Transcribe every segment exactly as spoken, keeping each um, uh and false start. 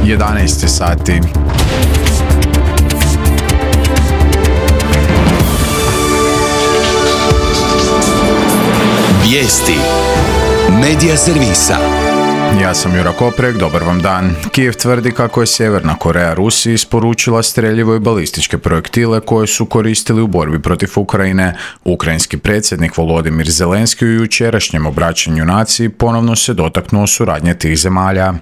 jedanaest sati. Vijesti Medija servisa. Ja sam Jura Koprek, dobar vam dan. Kijev tvrdi kako je Sjeverna Koreja Rusiji isporučila streljivo i balističke projektile koje su koristili u borbi protiv Ukrajine. Ukrajinski predsjednik Volodimir Zelenski u jučerašnjem obraćanju naciji ponovno se dotaknuo suradnje tih zemalja.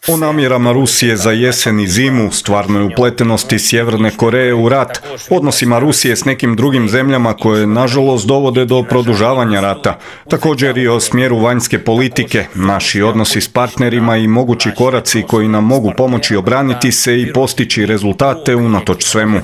O namjerama Rusije za jesen i zimu, stvarnoj upletenosti Sjeverne Koreje u rat, odnosima Rusije s nekim drugim zemljama koje nažalost dovode do produžavanja rata, također i o smjeru vanjske politike, naši odnosi s partnerima i mogući koraci koji nam mogu pomoći obraniti se i postići rezultate unatoč svemu.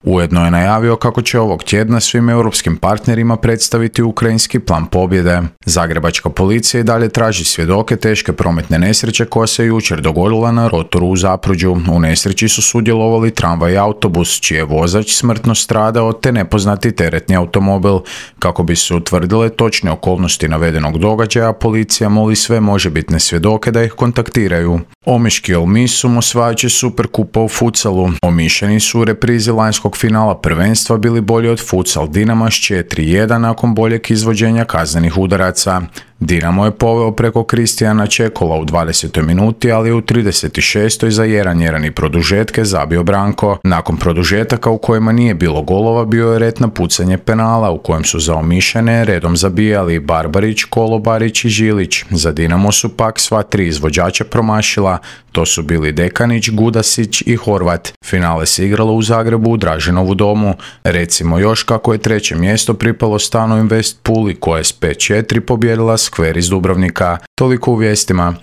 Ujedno je najavio kako će ovog tjedna svim europskim partnerima predstaviti ukrajinski plan pobjede. Zagrebačka policija i dalje traži svjedoke teške prometne nesreće koja se jučer dogodila na rotoru u Zapruđu. U nesreći su sudjelovali tramvaj i autobus, čiji je vozač smrtno stradao, te nepoznati teretni automobil. Kako bi se utvrdile točne okolnosti navedenog događaja, policija moli sve možebitne svjedoke da ih kontaktiraju. Omiški Olmisum osvajajući Superkupa u futsalu. Omišljeni su u reprizi lanjskog finala prvenstva bili bolji od futsal Dinama s četiri jedan nakon boljeg izvođenja kaznenih udaraca. Dinamo je poveo preko Kristijana Čekola u dvadesetoj minuti, ali u trideset šestoj za jedan jedan i produžetke zabio Branko. Nakon produžetaka u kojima nije bilo golova bio je red na pucanje penala u kojem su za Omišljane redom zabijali Barbarić, Kolobarić i Žilić. Za Dinamo su pak sva tri izvođača promašila. To su bili Dekanić, Gudasić i Horvat. Finale se igralo u Zagrebu u Draženovu domu. Recimo još kako je treće mjesto pripalo Stano Invest Puli koja je s pet četiri pobjedila Skver iz Dubrovnika. Toliko u vijestima.